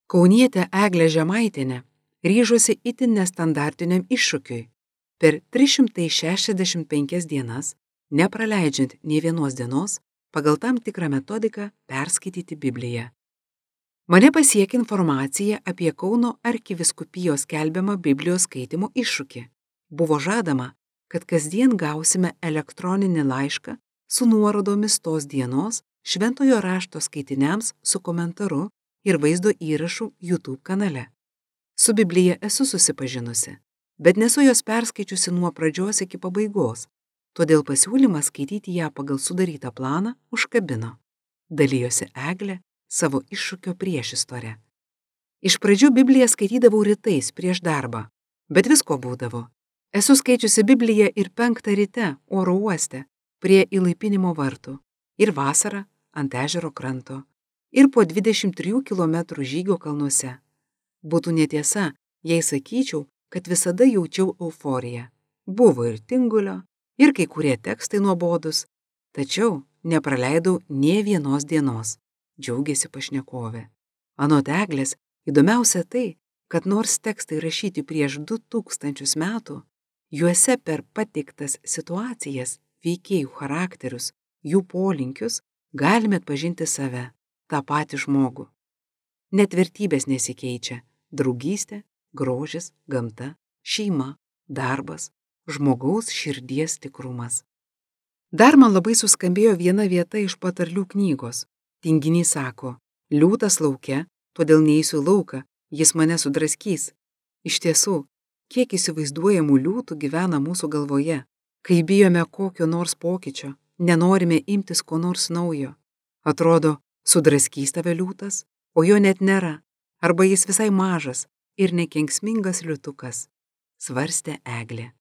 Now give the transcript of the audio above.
Kaunietė Eglė Žemaitienė ryžosi itin nestandartiniam iššūkiui per 365 dienas, nepraleidžiant nė vienos dienos, pagal tam tikrą metodiką perskaityti Bibliją. Mane pasiekė informacija apie Kauno arkivyskupijos skelbiamą Biblijos skaitimo iššūkį. Buvo žadama, kad kasdien gausime elektroninį laišką su nuorodomis tos dienos šventojo rašto skaitiniams su komentaru ir vaizdo įrašu YouTube kanale. Su Biblija esu susipažinusi, bet nesu jos perskaičiusi nuo pradžios iki pabaigos, todėl pasiūlymas skaityti ją pagal sudarytą planą užkabino. Dalijosi Eglė savo iššūkio priešistorę. Iš pradžių Bibliją skaitydavau rytais prieš darbą, bet visko būdavo. Esu skaičiusi Bibliją ir 5 ryte oro uoste prie įlaipinimo vartų, ir vasarą ant ežero kranto, ir po 23 km žygio kalnuose. Būtų netiesa, jei sakyčiau, kad visada jaučiau euforiją. Buvo ir tingulio, ir kai kurie tekstai nuobodus, tačiau nepraleidau nė vienos dienos, džiaugiasi pašnekovė. Anot Eglės, įdomiausia tai, kad nors tekstai rašyti prieš 2000 metų, juose per pateiktas situacijas, veikėjų charakterius, jų polinkius, galime atpažinti save, tą patį žmogų. Net vertybės nesikeičia – draugystė, grožis, gamta, šeima, darbas, žmogaus širdies tikrumas. Dar man labai suskambėjo viena vieta iš patarlių knygos. Tinginys sako, liūtas lauke, todėl neįsiu lauką, jis mane sudraskys. Iš tiesų, kiek įsivaizduojamų liūtų gyvena mūsų galvoje, kai bijome kokio nors pokyčio, nenorime imtis ko nors naujo. Atrodo, sudraskys tave liūtas, o jo net nėra, arba jis visai mažas ir nekenksmingas liūtukas, svarstė Eglė.